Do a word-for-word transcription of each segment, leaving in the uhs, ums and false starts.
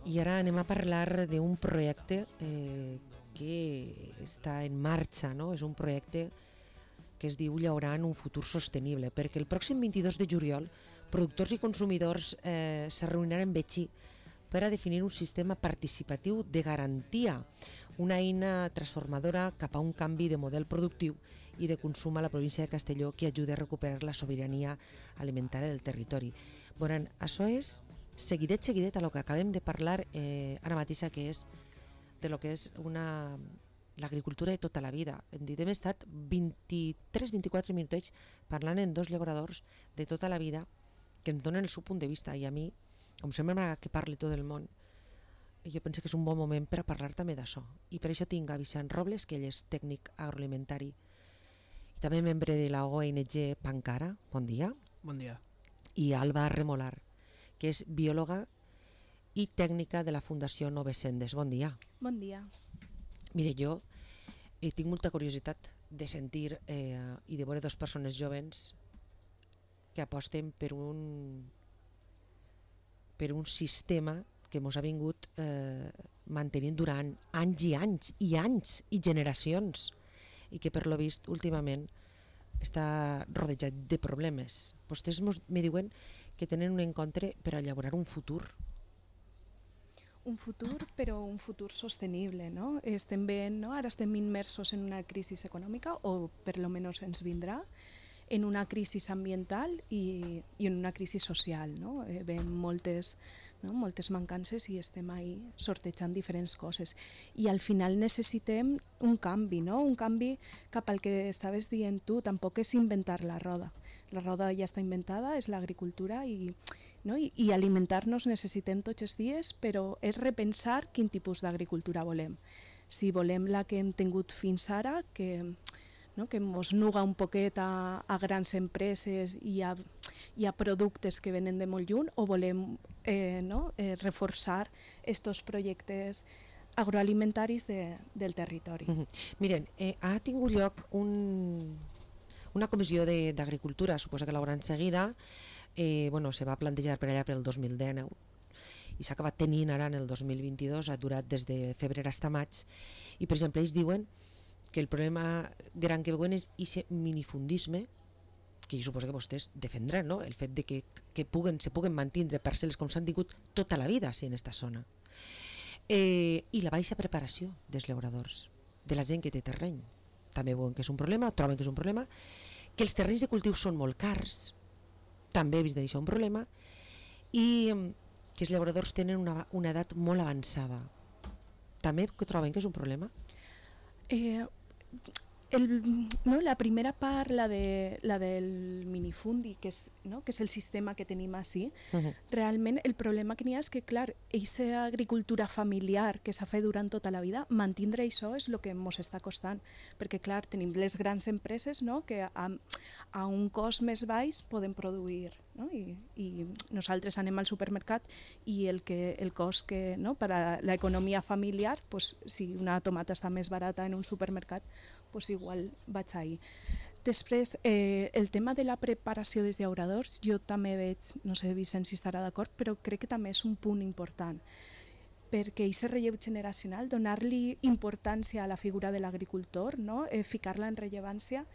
I ara anem a parlar d'un projecte eh, que està en marxa, no? És un projecte que es diu Llaurant un futur sostenible, perquè el pròxim vint-i-dos de juliol productors i consumidors eh, se reuniran en Betxí per a definir un sistema participatiu de garantia, una eina transformadora cap a un canvi de model productiu i de consum a la província de Castelló que ajuda a recuperar la sobirania alimentària del territori. Bueno, això és seguidet, seguidet a lo que acabem de parlar eh, ara mateixa, que és de lo que és una l'agricultura de tota la vida. Hem dit, hem estat vint-i-tres vint-i-quatre minutets parlant en dos llauradors de tota la vida que ens donen el seu punt de vista, i a mi, com sempre m'agrada que parli tot el món, jo penso que és un bon moment per a parlar també d'això. I per això tinc a Vicent Robles, que ell és tècnic agroalimentari i també membre de la O N G Pancara. Bon dia. Bon dia. I Alba Remolar, que és biòloga i tècnica de la Fundació Novesendes. Bon dia. Bon dia. Mire, jo eh, tinc molta curiositat de sentir eh, i de veure dues persones jovens que aposten per un per un sistema que ens ha vingut eh, mantenint durant anys i anys i anys i generacions, i que per lo vist últimament està rodejat de problemes. Vostès me diuen que tenen un encontre per a elaborar un futur. Un futur, però un futur sostenible, no? Estem veient, no? Ara estem immersos en una crisi econòmica, o per lo menos ens vindrà, en una crisi ambiental i, i en una crisi social, no? Eh, veiem moltes, no? moltes mancances i estem ahí sortejant diferents coses. I al final necessitem un canvi, no? Un canvi cap al que estaves dient tu. Tampoc és inventar la roda. La roda ja està inventada, és l'agricultura, i, no? I, i alimentar-nos necessitem tots els dies, però és repensar quin tipus d'agricultura volem. Si volem la que hem tingut fins ara, que no? que ens nuga un poquet a, a grans empreses i a, i a productes que venen de molt lluny, o volem eh, no? eh, reforçar estos projectes agroalimentaris de, del territori. Mm-hmm. Miren, eh, ha tingut lloc un, una comissió d'agricultura, suposa que l'hauran seguida, eh, bueno, se va plantejar per allà per el dos mil dinou i s'ha acabat tenint ara en el dos mil vint-i-dos, ha durat des de febrer fins a maig, i per exemple ells diuen que el problema gran que veuen és aquest minifundisme, que jo suposo que vostès defendran, no? El fet de que, que puguen, se puguen mantindre parcel·les com s'han tingut tota la vida sí, en aquesta zona. Eh, I la baixa preparació dels llauradors, de la gent que té terreny. També veuen que és un problema, troben que és un problema, que els terrenys de cultiu són molt cars, també he vist d'això un problema, i que els llauradors tenen una, una edat molt avançada. També que troben que és un problema? Eh, el, no, la primera part, la, de, la del minifundi, que és, no, que és el sistema que tenim així, uh-huh. Realment el problema que n'hi ha és que, clar, aquesta agricultura familiar que s'ha fet durant tota la vida, mantindre això és el que ens està costant, perquè, clar, tenim les grans empreses, no, que a, a un cost més baix poden produir, no? I, i nosaltres anem al supermercat i el, que, el cost que, no, per a l'economia familiar, pues, si una tomata està més barata en un supermercat, pues igual vaig ahí. Després, eh, el tema de la preparació dels llauradors, jo també veig, no sé Vicent si estarà d'acord, però crec que també és un punt important, perquè aquest relleu generacional, donar-li importància a la figura de l'agricultor, no? eh, ficar-la en rellevància,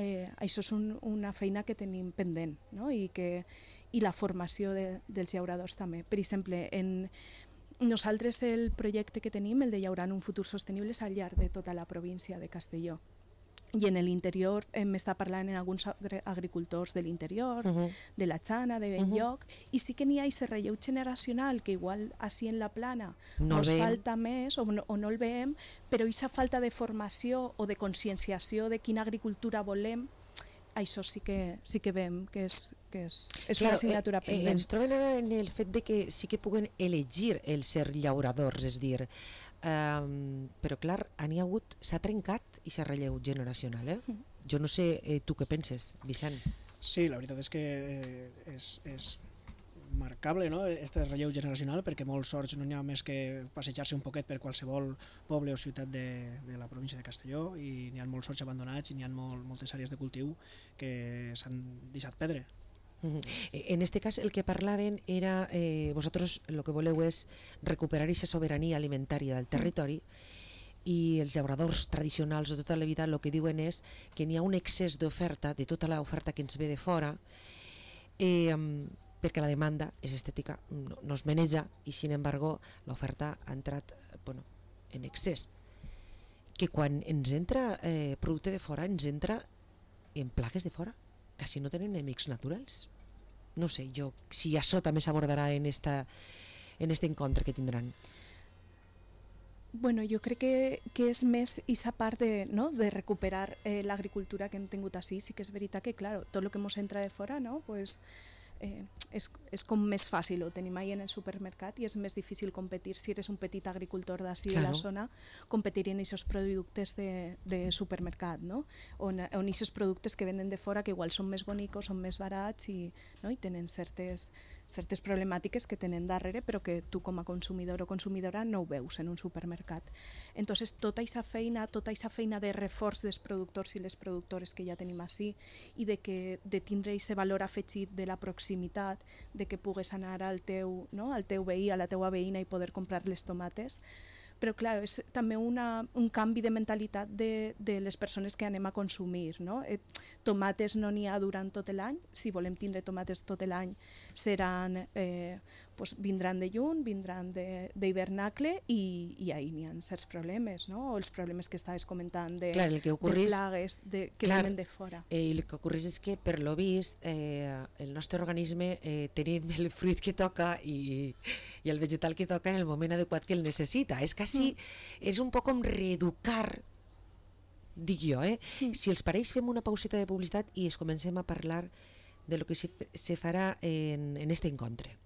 eh, això és un, una feina que tenim pendent, no? I, que, i la formació de, dels llauradors també. Per exemple, en nosaltres el projecte que tenim, el de Llaurant un futur sostenible, és al llarg de tota la província de Castelló. I en l'interior hem estat parlant amb alguns agricultors de l'interior, uh-huh. de la Xana, de Benlloc, uh-huh. i sí que n'hi ha aquest relleu generacional que igual així en la plana no ens falta més o no, o no el veiem, però aquesta falta de formació o de conscienciació de quina agricultura volem, això sí que, sí que veiem que és, que és, és claro, una assignatura eh, pendent. Eh, ens troben ara en el fet de que sí que puguen elegir el ser llauradors, és dir, um, però clar, n'hi ha hagut, s'ha trencat i s'ha relleu generacional, eh? Mm. Jo no sé, eh, tu què penses, Vicent? Sí, la veritat és que eh, és, és marcable, no?, este relleu generacional, perquè molts sorts no n'hi ha més que passejar-se un poquet per qualsevol poble o ciutat de, de la província de Castelló, i n'hi ha molts sorts abandonats i n'hi ha molt, moltes àrees de cultiu que s'han deixat perdre. Uh-huh. En este cas el que parlaven era, eh, vosaltres el que voleu és recuperar aquesta sobirania alimentària del territori, i els llauradors tradicionals de tota la vida el que diuen és que n'hi ha un excés d'oferta, de tota l'oferta que ens ve de fora, eh, perquè la demanda és estètica, no, no es maneja, i sin embargo l'oferta ha entrat bueno, en excés, que quan ens entra eh, producte de fora ens entra en plagues de fora, quasi no tenen enemics naturals. No sé jo si això també s'abordarà en, esta, en este encontre que tindran. Bueno, jo crec que, que és més aquesta part de, no, de recuperar eh, l'agricultura que hem tingut així. Sí que és veritat que, claro, tot el que ens entra de fora, no, pues, eh, és, és com més fàcil, ho tenim ahí en el supermercat i és més difícil competir si eres un petit agricultor d'ací claro. de la zona, competir en aquests productes de, de supermercat, no? On aquests productes que venden de fora que igual són més bonics, són més barats i, no? I tenen certes... certes problemàtiques que tenen darrere però que tu com a consumidor o consumidora no ho veus en un supermercat. Entonces tota aquesta feina, tota aquesta feina de reforç dels productors i les productores que ja tenim així i de, que, de tindre aquest valor afegit de la proximitat, de que pugues anar al teu, no? al teu veí, a la teua veïna i poder comprar les tomates, però clar, és també una, un canvi de mentalitat de, de les persones que anem a consumir, no? Eh, tomates no n'hi ha durant tot l'any, si volem tindre tomates tot l'any seran, eh, pues vindran de lluny, vindran d'hivernacle i, i ahí n'hi ha certs problemes, no? O els problemes que estaves comentant de, clar, el que ocorrís, de plagues de, que clar, venen de fora. Eh, el que ocorreix és que per lo vist eh, el nostre organisme eh, tenim el fruit que toca i, i el vegetal que toca en el moment adequat que el necessita. És quasi, mm. és un poc com reeducar, dic jo, eh? Mm. Si els pareix fem una pauseta de publicitat i es comencem a parlar de lo que se, se farà en, en este encontre.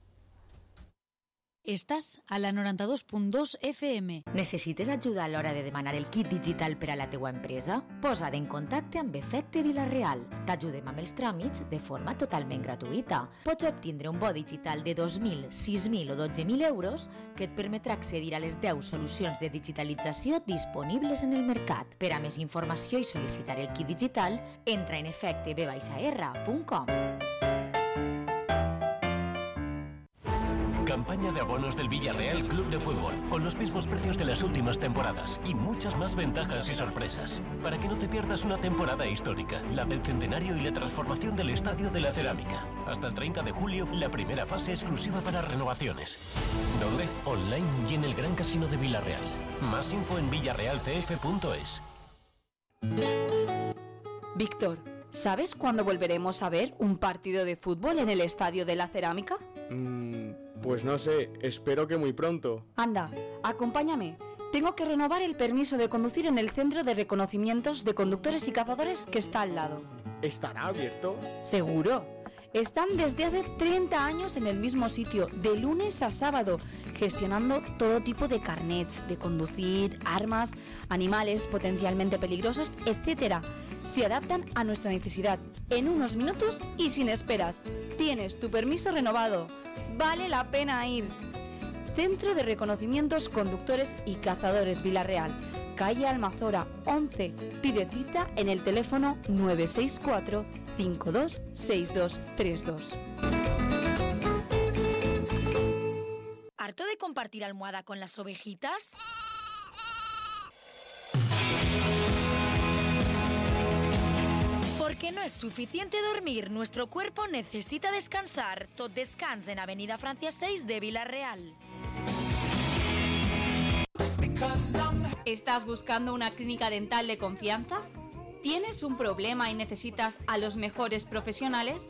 Estàs a la noranta-dos punt dos F M. Necessites ajuda a l'hora de demanar el kit digital per a la teua empresa? Posa't en contacte amb Efecte Vila-real. T'ajudem amb els tràmits de forma totalment gratuïta. Pots obtindre un bo digital de dos mil, sis mil o dotze mil euros que et permetrà accedir a les deu solucions de digitalització disponibles en el mercat. Per a més informació i sol·licitar el kit digital, entra en efecte b r punt com. Campaña de abonos del Villarreal Club de Fútbol, con los mismos precios de las últimas temporadas y muchas más ventajas y sorpresas, para que no te pierdas una temporada histórica, la del centenario y la transformación del Estadio de la Cerámica. Hasta el treinta de julio, la primera fase exclusiva para renovaciones. ¿Dónde? Online y en el Gran Casino de Villarreal. Más info en villarreal c f punto es. Víctor, ¿sabes cuándo volveremos a ver un partido de fútbol en el Estadio de la Cerámica? Mm, pues no sé, espero que muy pronto. Anda, acompáñame. Tengo que renovar el permiso de conducir en el centro de reconocimientos de conductores y cazadores que está al lado. ¿Estará abierto? Seguro. Están desde hace treinta años en el mismo sitio, de lunes a sábado, gestionando todo tipo de carnets de conducir, armas, animales potencialmente peligrosos, etcétera. Se adaptan a nuestra necesidad en unos minutos y sin esperas. Tienes tu permiso renovado. Vale la pena ir. Centro de Reconocimientos Conductores y Cazadores Vila-real, calle Almazora once. Pide cita en el teléfono nueve seis cuatro, cinco dos seis dos tres dos. ¿Harto de compartir almohada con las ovejitas? Porque no es suficiente dormir, nuestro cuerpo necesita descansar. Tot Descans en Avenida Francia seis de Vila-real. ¿Estás buscando una clínica dental de confianza? ¿Tienes un problema y necesitas a los mejores profesionales?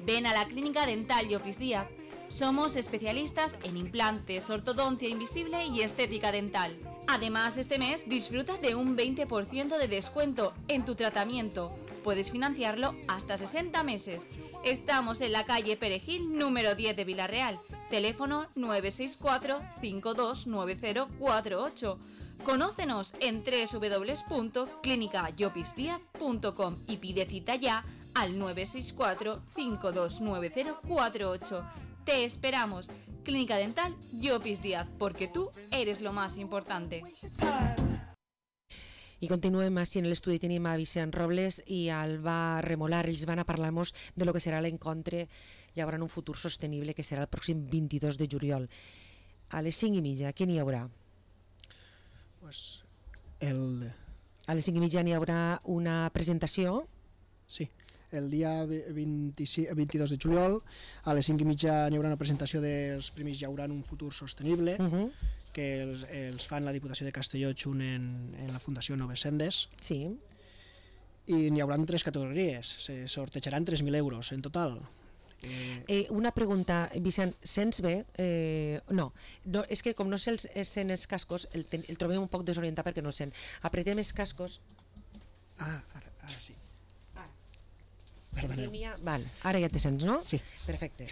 Ven a la Clínica Dental Llopis Díaz. Somos especialistas en implantes, ortodoncia invisible y estética dental. Además, este mes disfruta de un veinte por ciento de descuento en tu tratamiento. Puedes financiarlo hasta sesenta meses. Estamos en la calle Perejil, número diez de Vila-real. Teléfono nueve seis cuatro, cinco dos nueve cero cuatro ocho. Conócenos en doble u doble u doble u punto clínica llopis díaz punto com y pide cita ya al nueve seis cuatro, cinco dos nueve cero cuatro ocho. Te esperamos. Clínica Dental Llopis Díaz, porque tú eres lo más importante. I continuem així en l'estudi, tenim a Vicent Robles i Alba Remolar. Ells van a parlar-nos de lo que serà l'encontre Hi haurà un futur sostenible que serà el pròxim vint-i-dos de juliol. A les cinc i mitja, què n'hi haurà? Pues el... A les cinc i mitja n'hi haurà una presentació? Sí, el dia vint-i-cinc, vint-i-dos de juliol a les cinc i mitja n'hi haurà una presentació dels Premis Hi haurà un futur sostenible, uh -huh. que els, els fan la Diputació de Castelló junt en, en la Fundació Noves Sendes. Sí. I n'hi haurà tres categories, se sortejaran tres mil euros en total. Eh... Eh, una pregunta, Vicent, sents bé? Eh, no. no, és que com no sé els, sent els cascos, el, el trobem un poc desorientat perquè no el sent. Apretem els cascos. Ah, ara, ara sí. Ara. Perdoneu. Val, ara ja te sents, no? Sí. Perfecte.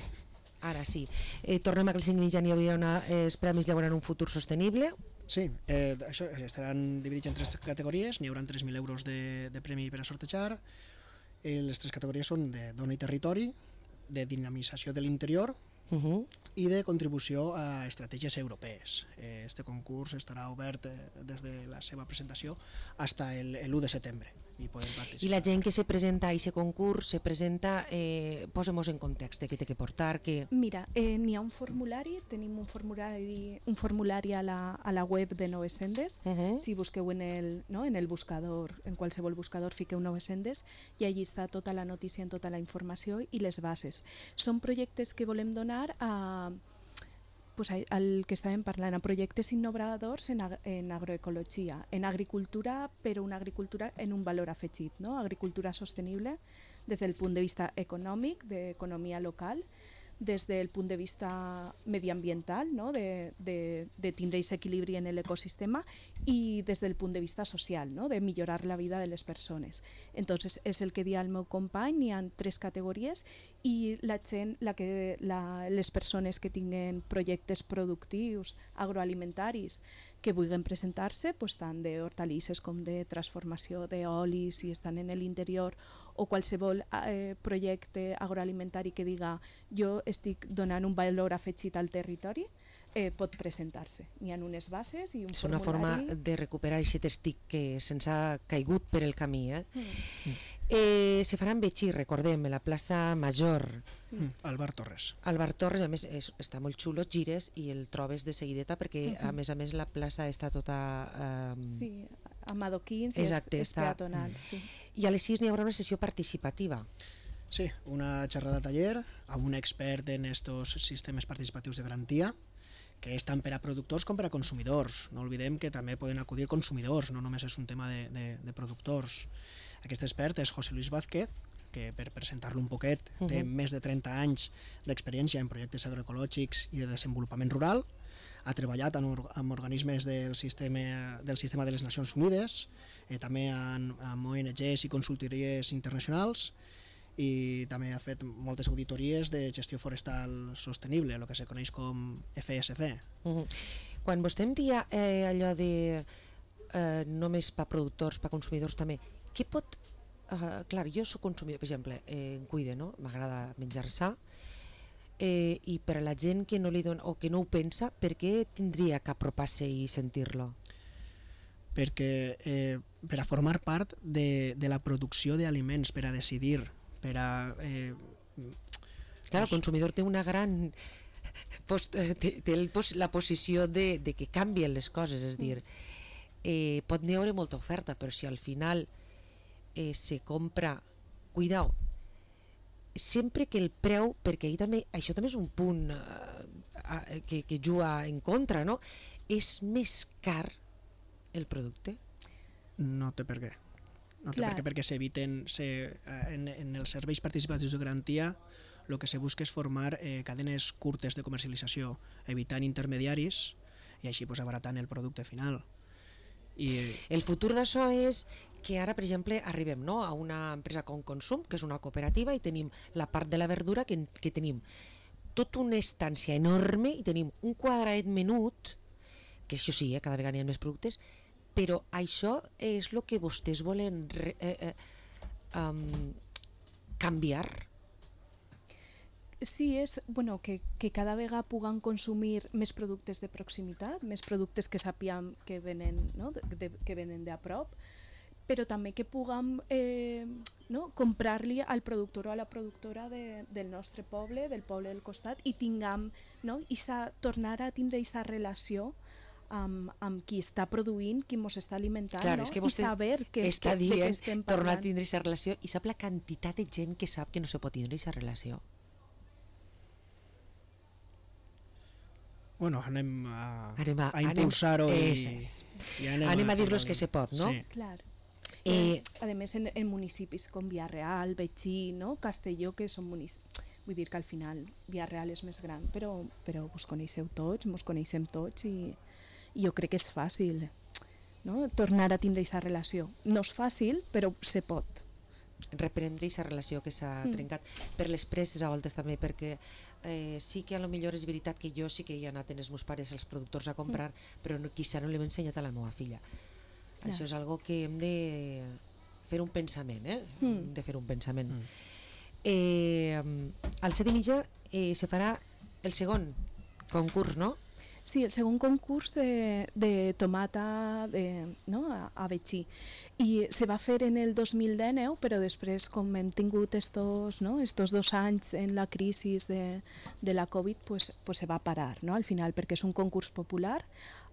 Ara sí. Eh, tornem a que els cinc mitja n'hi hauria una, els premis hi haurà un futur sostenible. Sí, eh, això estaran dividits en tres categories, n'hi haurà tres mil euros de, de premi per a sortejar. Eh, les tres categories són de dona i territori, de dinamització de l'interior uh -huh. i de contribució a estratègies europees. Eh, este concurs estarà obert eh, des de la seva presentació fins l'u de setembre i podem participar. I la gent que se presenta a aquest concurs se presenta, eh, posem-nos en context de què té que portar. Que... Mira, eh, n'hi ha un formulari, tenim un formulari, un formulari a, la, a la web de Noves Sendes. Uh -huh. Si busqueu en el, no, en el buscador, en qualsevol buscador, fiqueu Noves Sendes i allí està tota la notícia, en tota la informació i les bases. Són projectes que volem donar a, pues, al que estàvem parlant, a projectes innovadors en, ag en agroecologia, en agricultura, però una agricultura en un valor afegit, no? Agricultura sostenible des del punt de vista econòmic, d'economia local, des del punt de vista mediambiental, no? de, de, de tindre aquest equilibri en l'ecosistema, i des del punt de vista social, no? De millorar la vida de les persones. Entonces, és el que dia el meu company, hi ha tres categories i la gent, la que, la, les persones que tinguen projectes productius, agroalimentaris, que vulguin presentar-se, pues, tant d'hortalisses com de transformació d'olis, si estan en l'interior, o qualsevol eh, projecte agroalimentari que diga jo estic donant un valor afegit al territori, eh, pot presentar-se. N'hi ha unes bases i un és formulari. És una forma de recuperar aquest estic que se'ns ha caigut per el camí. Eh? Mm. Eh, se farà en Betxí, recordem, a la plaça Major. Sí. Mm. Al Bar Torres. Al Bar Torres, a més, és, està molt xulo, gires i el trobes de seguideta perquè, uh -huh. a més a més, la plaça està tota... Eh, sí, amb adoquins i és, és peatonal. Mm. Sí. I a les sis n'hi haurà una sessió participativa. Sí, una xerrada taller amb un expert en estos sistemes participatius de garantia, que és tant per a productors com per a consumidors. No oblidem que també poden acudir consumidors, no només és un tema de, de, de productors. Aquest expert és José Luis Vázquez, que per presentar-lo un poquet uh-huh. té més de trenta anys d'experiència en projectes agroecològics i de desenvolupament rural, ha treballat amb, amb organismes del sistema, del sistema de les Nacions Unides, eh, també amb, amb O N Ges i consultories internacionals, i també ha fet moltes auditories de gestió forestal sostenible, el que se coneix com F S C. Uh-huh. Quan vostè em dia eh, allò de eh, només per productors, per consumidors també, què pot... Uh, clar, jo soc consumidor, per exemple, eh, em cuide, no? M'agrada menjar sa, eh, i per a la gent que no li dona o que no ho pensa, per què tindria que apropar-se i sentir-lo? Perquè eh, per a formar part de, de la producció d'aliments, per a decidir, per a... Eh, clar, el consumidor té una gran... Post, té, té el, la posició de, de que canvien les coses, és dir, eh, pot n'hi haver molta oferta, però si al final eh, se compra... Cuidao, sempre que el preu, perquè també, això també és un punt eh, que, que juga en contra, no? És més car el producte? No té per què. No té per què, perquè s'eviten se, en, en els serveis participatius de garantia el que se busca és formar eh, cadenes curtes de comercialització, evitant intermediaris i així pues, abaratant el producte final. I... El futur d'això és que ara, per exemple, arribem no, a una empresa com Consum, que és una cooperativa, i tenim la part de la verdura que, que tenim tota una estància enorme i tenim un quadradet menut, que això sí, eh, cada vegada hi ha més productes, però això és el que vostès volen re, eh, eh, um, canviar. Sí, és bueno, que, que cada vegada puguem consumir més productes de proximitat, més productes que sapiem que venen, no? de, de, que venen de a prop, però també que puguem eh, no? comprar-li al productor o a la productora de, del nostre poble, del poble del costat, i tinguem, no? I sa, tornar a tindre aquesta relació amb, amb qui està produint, qui ens està alimentant, Clar, no? és que I saber que, està que, dient, de què estem parlant. tornar a tindre aquesta relació, i sap la quantitat de gent que sap que no se pot tindre aquesta relació. Bueno, anem a, anem a, a impulsar-ho i, i anem, anem a, a dir-los que se pot, no? Sí. Clar. Eh, a més, en, en municipis com Vila-real, Betxí, no? Castelló, que són municipis... Vull dir que al final Vila-real és més gran, però, però vos coneixeu tots, mos coneixem tots i, i jo crec que és fàcil, no? Tornar a tindre aquesta relació. No és fàcil, però se pot. Reprendre aquesta relació que s'ha mm. trencat per les presses a voltes també, perquè eh, sí que a lo millor és veritat que jo sí que hi he anat en els meus pares als productors a comprar, mm. però no, quizà no l'hem ensenyat a la meva filla. Ja. Això és algo que hem de fer un pensament, eh? Mm. Hem de fer un pensament. Mm. Eh, al set i mitja eh, se farà el segon concurs, no? Sí, el segon concurs de, de tomata de, no? a, a Betxí. I se va fer en el dos mil dinou, però després, com hem tingut estos, no? estos dos anys en la crisi de, de la Covid, pues, pues se va parar, no? Al final, perquè és un concurs popular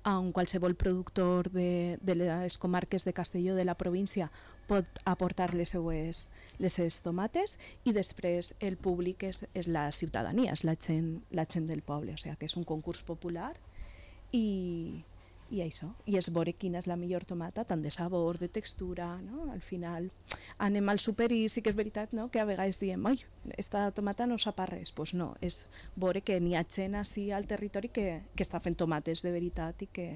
on qualsevol productor de, de les comarques de Castelló, de la província, pot aportar les seues, les seues tomates, i després el públic és, és la ciutadania, és la gent, la gent del poble, o sigui que és un concurs popular i, i això, i és veure quina és la millor tomata, tant de sabor, de textura, no? Al final anem al súper i sí que és veritat, no? Que a vegades diem, oi, esta tomata no sap a res, doncs pues no, és veure que n'hi ha gent així al territori que, que està fent tomates de veritat i que,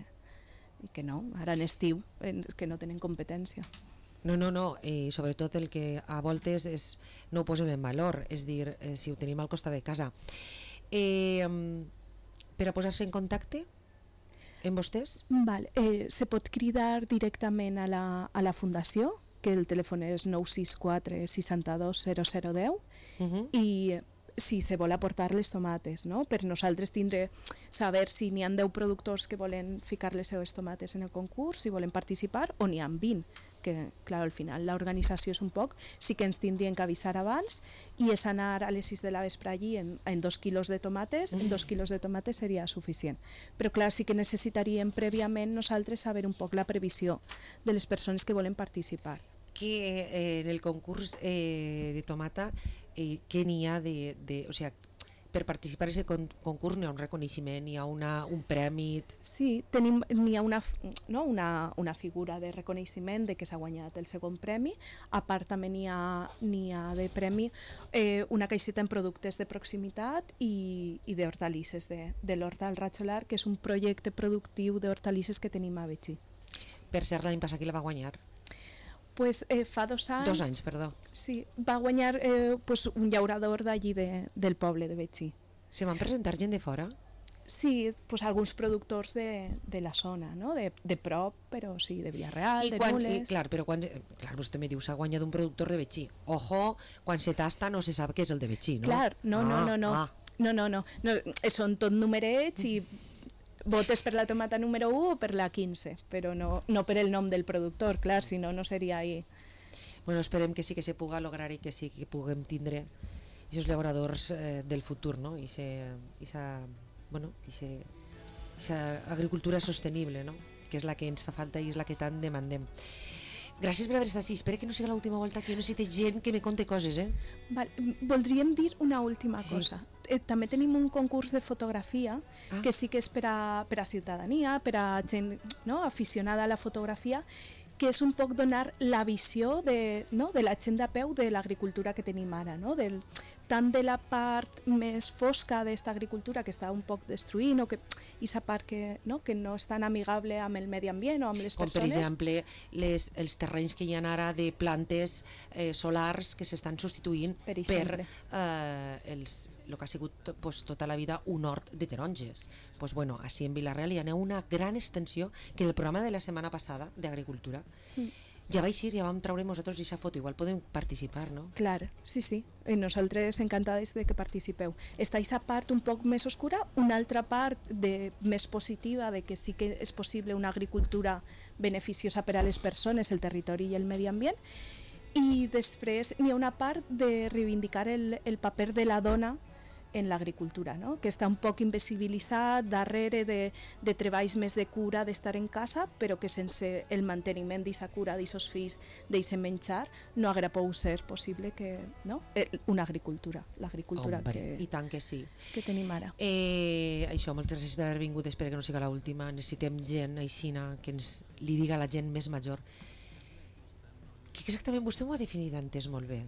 i que no, ara en estiu, que no tenen competència. No, no, no, i sobretot el que a voltes és, no ho posem en valor, és dir, eh, si ho tenim al costat de casa. Eh, per a posar-se en contacte amb vostès? Val, eh, se pot cridar directament a la, a la fundació, que el telèfon és nou sis quatre sis dos zero zero un zero, uh-huh. i si se vol aportar les tomates, no? Per nosaltres tindre, saber si n'hi ha deu productors que volen ficar les seues tomates en el concurs, si volen participar, o n'hi ha vint, que clar, al final l'organització és un poc, sí que ens tindrien que avisar abans, i és anar a les sis de la vespre allí en, en dos quilos de tomates, en dos quilos de tomates seria suficient. Però clar, sí que necessitaríem prèviament nosaltres saber un poc la previsió de les persones que volen participar. Que eh, en el concurs eh, de tomata, eh, què n'hi ha de, de... O sigui, per participar en aquest con concurs n'hi ha un reconeixement, n'hi ha una, un premi... Sí, tenim, n'hi ha una, no? una, una figura de reconeixement de que s'ha guanyat el segon premi. A part també n'hi ha, n'hi ha de premi eh, una caixeta en productes de proximitat i, i d'hortalisses de, de l'Horta al Ratxolar, que és un projecte productiu d'hortalisses que tenim a Betxí. Per cert, l'any passat qui la va guanyar? Pues, eh, fa dos anys... Dos anys, perdó. Sí, va guanyar eh, pues, un llaurador d'allí de, del poble de Betxí. Se van presentar gent de fora? Sí, pues, alguns productors de, de la zona, no? de, de prop, però sí, de Vila-real, de quan, Nules... I, clar, però quan... Clar, vostè me diu, s'ha guanyat un productor de Betxí. Ojo, quan se tasta no se sap què és el de Betxí, no? Clar, no, ah, no, no, no. Ah. No, no, no. no. Són tot numerets i votes per la tomata número u o per la quinze, però no, no per el nom del productor, clar, si no, no seria ahí. Bueno, esperem que sí que se puga lograr i que sí que puguem tindre aquests llauradors eh, del futur, no? I esa, bueno, esa agricultura sostenible, no? Que és la que ens fa falta i és la que tant demandem. Gràcies per haver estat així. Espero que no sigui l'última volta que jo necessite gent que me conte coses, eh? Val, voldríem dir una última sí. cosa. Eh, també tenim un concurs de fotografia ah. que sí que és per a, per a ciutadania, per a gent, no? aficionada a la fotografia, que és un poc donar la visió de, no? de la gent de peu de l'agricultura que tenim ara, no? Del, tant de la part més fosca d'esta agricultura que està un poc destruint, o que aquesta part que no, que no és tan amigable amb el medi ambient o amb les com persones. Com per exemple les, els terrenys que hi ha ara de plantes eh, solars que s'estan substituint per, per eh, els, el que ha sigut pues, tota la vida un hort de taronges. Pues, bueno, així en Vila-real hi ha una gran extensió que en el programa de la setmana passada d'agricultura mm. ja vaig ir, ja vam treure nosaltres aquesta foto, igual podem participar, no? Clar, sí, sí, i nosaltres encantades de que participeu. Està aquesta part un poc més oscura, una altra part de, més positiva, de que sí que és possible una agricultura beneficiosa per a les persones, el territori i el medi ambient, i després n'hi ha una part de reivindicar el, el paper de la dona en l'agricultura, no? Que està un poc invisibilitzat darrere de, de treballs més de cura, d'estar en casa, però que sense el manteniment d'aquesta cura, d'aquests fills, d'aquest menjar, no haguera pogut ser possible que, no? Una agricultura, l'agricultura que, i tant que sí. que tenim ara. Eh, això, moltes gràcies per haver vingut, espero que no sigui l'última. Necessitem gent aixina que ens li diga a la gent més major. Que exactament vostè m'ho ha definit antes molt bé,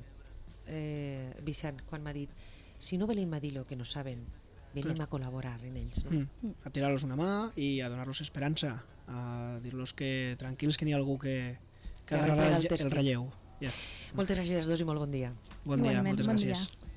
eh, Vicent, quan m'ha dit si no venim a dir el que no saben, venim Clar. a col·laborar en ells, no? Mm. A tirar-los una mà i a donar-los esperança, a dir-los que tranquils, que n'hi ha algú que, que Que agarrarà arregla el el, el testi. relleu. Yeah. Moltes gràcies a tots i molt bon dia. Bon dia, Igualment, moltes bon gràcies. dia.